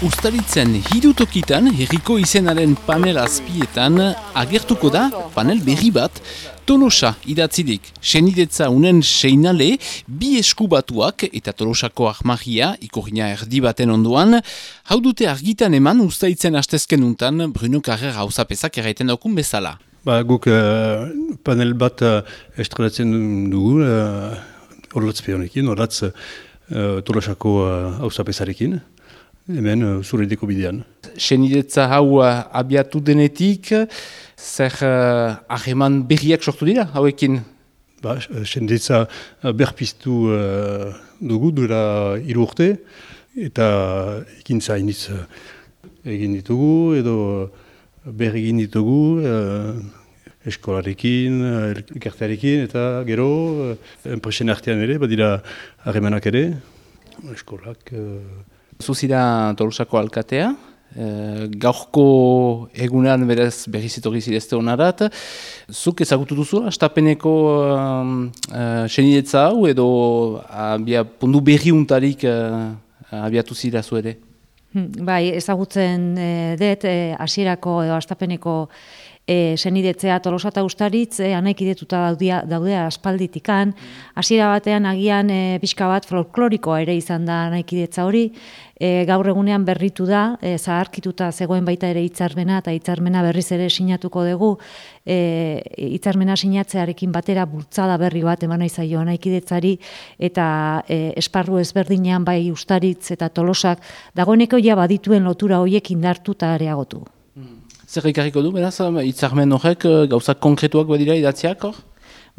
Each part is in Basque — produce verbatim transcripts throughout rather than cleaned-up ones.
Uztaritzen hiru tokitan herriko izenaren panel azpietan agertuko da panel berri bat Tolosa idatzidik. Senidetza unen seinale, bi eskubatuak eta Tolosako armagia, ikorina erdi baten onduan, hau dute argitan eman uztaritzen hastezken untan Bruno Carrer hauzapezak erraiten daukun bezala. Ba, guk uh, panel bat uh, estrelatzen dugu, uh, orlatz peonekin, orlatz uh, Tolosako hauzapezarekin. Uh, Hemen, uh, zuredeko bidean. Senidetza hau uh, abiatu denetik, zer hageman uh, berriak sortu dira, hauekin? Ba, senidetza uh, berpiztu uh, dugu dura hiru urte, eta ekintza hainitz uh, egin ditugu, edo berri egin ditugu, uh, eskolarekin, elkartearekin, eta gero, uh, enpresen artean ere, badira hagemanak ere, eskolak... Uh, Zuzira Tolosako alkatea, e, gaurko egunean berez berriz etorri zirezte honarat. Zuk ezagutu duzu, astapeneko um, uh, senidetza hau edo abia, pundu berriuntarik uh, abiatu zira zu ere? Bai, ezagutzen e, dut, hasierako edo astapeneko E, senidetzea Tolosa eta Uztaritz e, anaikidetuta daudea, daudea aspalditikan. Hasiera batean agian e, pixka bat folklorikoa ere izan da anaikidetza hori. E, gaur egunean berritu da, e, zaharkituta zegoen baita ere hitzarmena eta hitzarmena berriz ere sinatuko dugu. E, hitzarmena sinatzearekin batera bultzada berri bat eman nahi zaio anaikidetzari eta e, esparru ezberdinean bai Uztaritz eta Tolosak dagoeneko ja badituen lotura horiek indartu eta areagotu. Zer ikarriko du, beraz, hitzarmen horrek gauzak konkretuak badira idatziak hor?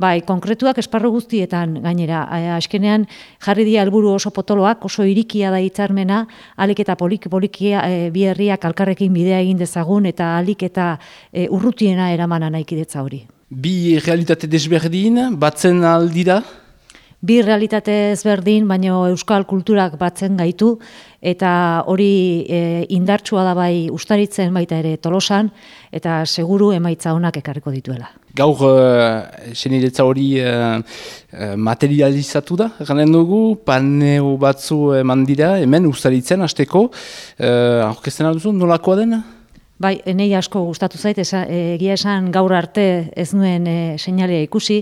Bai, konkretuak esparru guztietan gainera. Azkenean jarri dira helburu oso potoloak, oso irikia da hitzarmena, alik eta polik-polikia e, bi herriak alkarrekin bidea egin dezagun eta alik eta e, urrutiena eraman anaikidetza hori. Bi realitate desberdin, batzen aldira? Bi realitate ezberdin, baino euskal kulturak batzen gaitu, eta hori e, indartsua da bai Uztaritzen baita ere Tolosan, eta seguru emaitza onak ekarriko dituela. Gaur uh, senidetza hori uh, uh, materializatu da, ganen dugu, paneo batzu eman dira, hemen Uztaritzen hasteko, uh, aurkezten alduzu, nolakoa dena? Bai, enei asko gustatu zait, egia esan gaur arte ez nuen e, seinalea ikusi,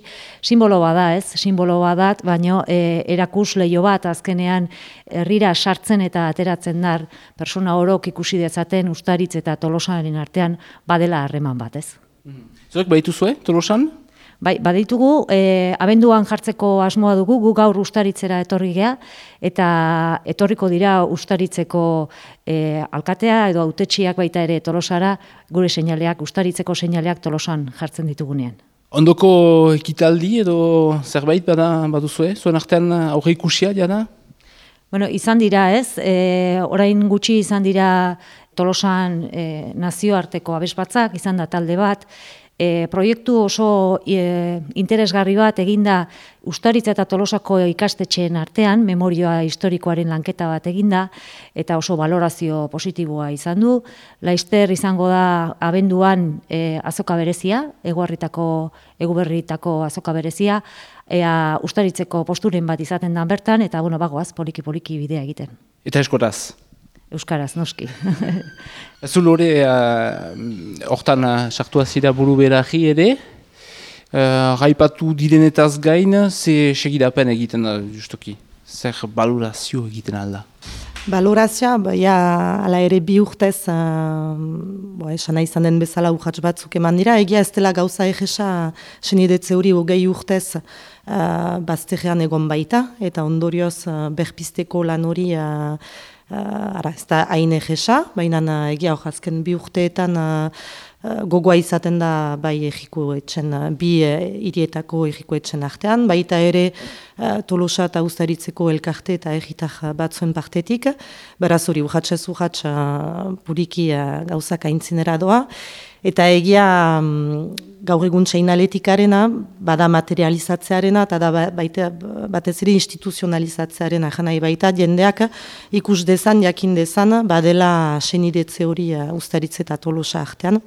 simbolo bada ez, simbolo badat, baino e, erakus leio bat azkenean herrira sartzen eta ateratzen dar persona orok ikusi dezaten Uztaritz eta Tolosaren artean badela harreman bat ez. Zuek baituzue Tolosan? Bai, baditugu, e, abenduan jartzeko asmoa dugu, gu gaur Uztaritzera etorri gea, eta etorriko dira Uztaritzeko e, alkatea edo hautetsiak baita ere Tolosara, gure seinaleak, Uztaritzeko seinaleak Tolosan jartzen ditugunean. Ondoko ekitaldi edo zerbait bada baduzue, zuen artean aurre ikusia jada? Bueno, izan dira ez, e, orain gutxi izan dira Tolosan e, nazioarteko abesbatzak, izan da talde bat, E, proiektu oso e, interesgarri bat eginda Uztaritz eta Tolosako ikastetxeen artean, memorioa historikoaren lanketa bat eginda, eta oso valorazio positiboa izan du. Laster izango da abenduan e, azoka berezia, eguarritako, eguberritako azoka berezia, ea Uztaritzeko posturen bat izaten dan bertan, eta bueno, bagoaz, poliki-poliki bidea egiten. Eta eskoraz? Euskaraz, noski. Zul hori, hortan sartu azira buru beraji ere, gaipatu uh, direnetaz gain, ze segidapen egiten da, justoki? Zer balorazio egiten alda? Balorazioa, ja, ala ere bi urtez, uh, bo, esana izan den bezala urratz batzuk eman dira, egia ez dela gauza egesa, senidetze hori hogei urtez uh, bazterrean egon baita, eta ondorioz uh, berpizteko lan hori uh, Uh, ara, ez da hain egesa, baina uh, egia hor azken bi urteetan uh, uh, gogoa izaten da bai egiko etxen, uh, bi uh, hirietako egiko etxen artean, baita ere uh, Tolosa eta Uztaritzeko elkarte eta egitar batzuen partetik, beraz hori urratxez urratx uh, puriki uh, gauzak aintzinera doa, eta egia um, gaur egun seinaletikarena, bada materializatzearena, eta da baita, batez ere instituzionalizatzearena, janai baita jendeak ikus dezan, jakin dezan, badela senidetze hori uh, Uztaritz eta Tolosa artean.